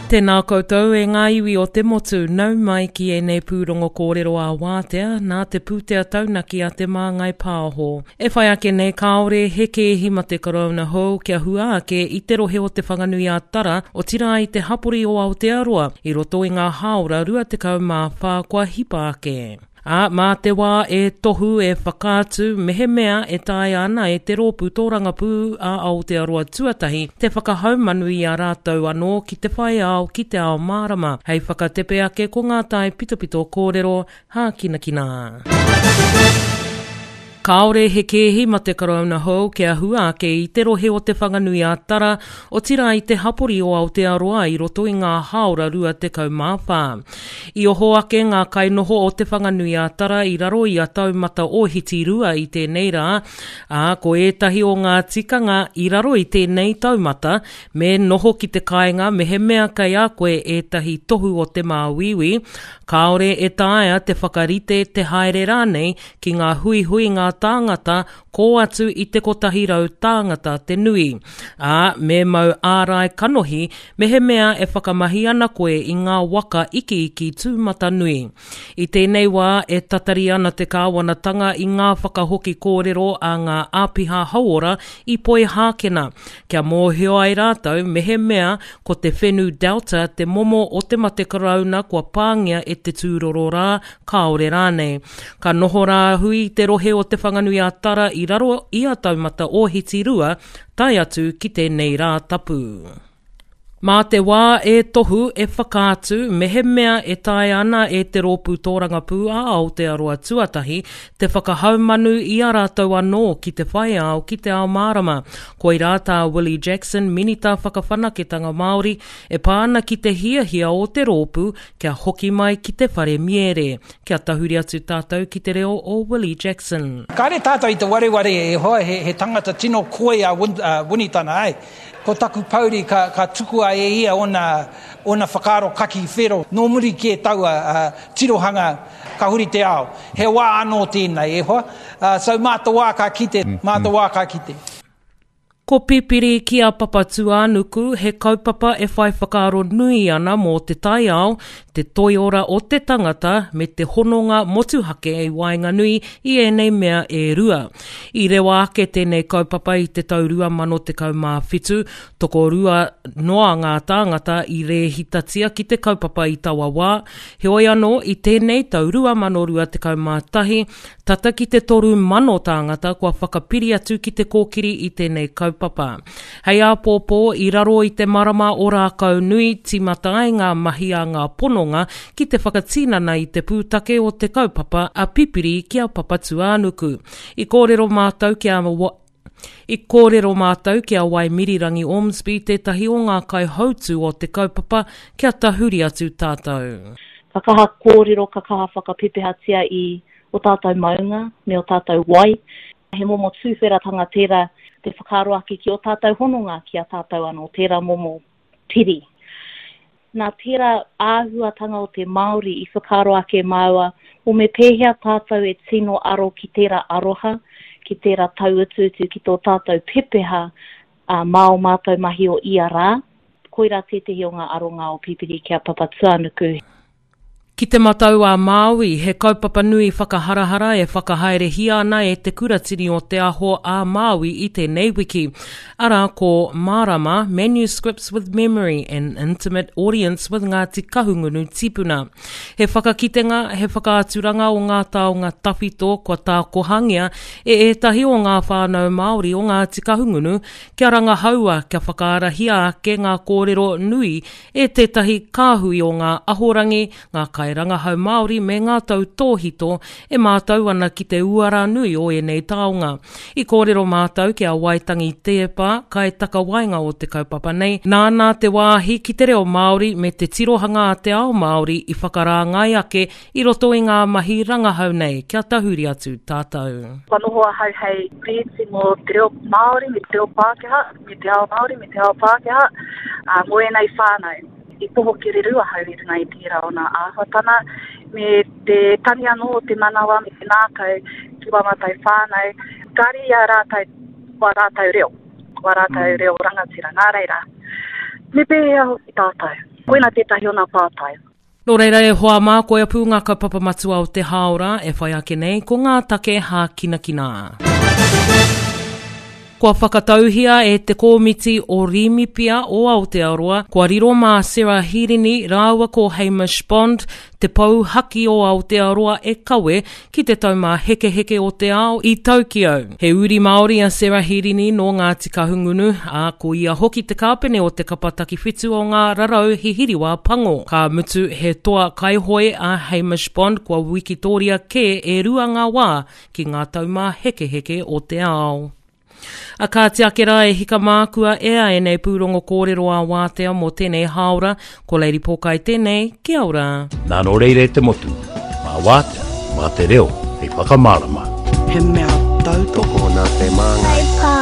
Tēnā koutou e ngā iwi o te motu, nau mai ki ēnei pūrongo kōrero ā-wātea nā te pūtea taunaki a Te Māngai Pāho. E whai ake nei kāore he kēhi mate karauna hou kia hua ake i te rohe o Te Whanganui-a-Tara, otirā i te hapori o Aotearoa, i roto i ngā hāora 24 kua hipa ake. Ā, mā te wā e tohu, e whakaatu, mehemea e taea ana e te Rōpū Tōrangapū a Aotearoa Tuatahi te whakahaumanu i a rātou anō ki te whai ao ki te ao mārama, hei whakatepe ake ko ngā tae pitopito kōrero hākinakina. Kāore he kēhi mate Karauna hou kia hua ake i te rohe o Te Whanganui-a-Tara, otirā i te hapori o Aotearoa i roto i ngā hāora 24. I oho ake ngā kainoho o Te Whanganui-a-Tara i raro i a Taumata Ōhiti 2 i tēnei rā, ā, ko ētahi o ngā tikanga i raro i tēnei taumata, me noho ki te kāinga mehemea kei a koe ētahi tohu o te māuiui, kāore e taea te whakarite, te haere rānei ki ngā huihuinga tāngata kō atu i te 100 tāngata te nui, ā, me mau ārai kanohi mehemea e whakamahi ana koe i ngā waka ikiiki tūmatanui. I tēnei wā e tatari ana te kāwanatanga i ngā whakahoki kōrero a ngā āpiha hauora i Poihākena kia mōhio ai rātou mehemea ko te whenu Delta te momo o te mate karauna kua pāngia e te tūroro rā kāore rānei. Ka noho rāhui te rohe o Te Whanganui-a-Tara i raro i a Taumata Ōhiti 2 tae atu ki tēnei rā tapu. Mā te wā e tohu, e whakaatu, mehemea e taea ana e te Rōpū Tōrangapū a Aotearoa Tuatahi te whakahaumanu i a rātou anō ki te whai ao ki te ao mārama. Koirā tā Willie Jackson, Minita Whakawhanaketanga Māori, e pā ana ki te hiahia o te rōpū Kia hoki mai ki te whare miere. Kia tahuri atu tātou ki te reo o Willie Jackson. Kāre tātou i te wareware e hoa, he, he tangata tino koi a Win, a Winitana, āe. Ko taku pouri ka, ka tukua e ia ōna, ōna whakaaro kaki whero. Nō muri kē taua tirohanga ka huri te ao. He wā anō tēnei, e hoa. So mā te wā ka kite, mā te wā ka kite. Ko Pipiri ki a Papatūānuku he kaupapa e whai whakaaro nui ana mō te taiao, te toiora o te tangata me te hononga motuhake i waenganui i ēnei mea e rua. I rewa ake tēnei kaupapa i te tau 2017, tokorua noa ngā tāngata i rēhitatia ki te kaupapa i taua wā, heoi anō i tēnei tau 2021, Tata ki te 3,000 tāngata kua whakapiri atu ki te kōkiri i tēnei kaupapa. Hei āpōpō, i raro i te marama o Rākaunui, tīmata ai ngā mahi a ngā pononga ki te whakatinana i te pūtake o te kaupapa a Pipiri ki a Papatūānuku. I kōrero mātou ki a I kōrero mātou ki a Waimirirangi Ormsby, tētahi o ngā kaihautū o te kaupapa, kia tahuri atu tātou. Ka kaha kōrero, ka kaha whakapepehatia i o tātou maunga me o tātou wai. He momo tūwheratanga tērā te whakaaro ake ki o tātou hononga ki a tātou anō, tērā momo piri. Nā tērā āhuatanga o te Māori i whakaaro ake māua, o me pēhea tātou e tino aro ki tērā aroha, ki tērā tauutuutu ki tō tātou pepeha ā, mā ō mātou mahi o ia rā. Koirā tētehi o ngā aronga o Pipiri ki a Papatūānuku. Ki Te Matau a Māui, he kaupapa nui whakaharahara e whakahaerehia ana e Te Kuratini o Te Aho a Māui i tēnei wiki. Arā ko Mārama, Manuscripts with Memory, An Intimate Audience with Ngāti Kahungunu Tipuna. He whakakitenga, he whakaaturanga o ngā taonga tawhito kua tākohangia e ētahi o ngā whānau Māori o Ngāti Kahungunu kia rangahaua, kia whakaarahia ake ngā kōrero nui e tētahi kāhui o ngā ahorangi, ngā kairangahau Māori me ngā tautōhito e mātau ana ki te uara nui o ēnei taonga. I kōrero mātau ki a Waitangi Teepa, kaitakawaenga o te kaupapa nei, nāna te wāhi ki te reo Māori me te tirohanga a te ao Māori i whakarāngai ake i roto i ngā mahi rangahau nei kia tahuri atu tātou. Kua noho ahau hei rēti mō te reo Māori me te reo Pākehā, me te ao Māori me te ao Pākehā, ā, mō ēnei whānau. I poho kereru ahau i runga i tērā o nā āhuatana, me te tangi anō o te manawa me te ngākau ki wā mātou whānau, kāre i a rātou wā rātou reo, wā rātou reo rangatira. Nā reira, me pēhea hoki tātou? Koina tētahi o nā pātai. Nō reira e hoa mā, koia pū ngā kaupapa matua o te hāora e whai ake nei, ko ngā take hākinakina. Kua whakatauhia e te Kōmiti o Rīmipia o Aotearoa, kua riro mā Sarah Hirini rāua ko Hamish Bond te pou haki o Aotearoa e kawe ki te Taumāhekeheke o te Ao i Tokyo. He uri Māori a Sarah Hirini nō Ngāti Kahungunu, ā, ko ia hoki te kāpene o te kapa takiwhitu o ngā rarau hihiriwā pango. Ka mutu, he toa kaihoe a Hamish Bond kua wikitōria kē e rua ngā wā ki ngā taumāhekeheke o te ao. A kāti ake rā e hika mā kua ea ēnei pūrongo kōrero ā wātea mō tēnei hāora, ko Lady Pōkai tēnei, kia ora. Nā nō reira e te motu, mā wātea, mā te reo hei whakamārama. He mea tautoko. Tokona te māngai.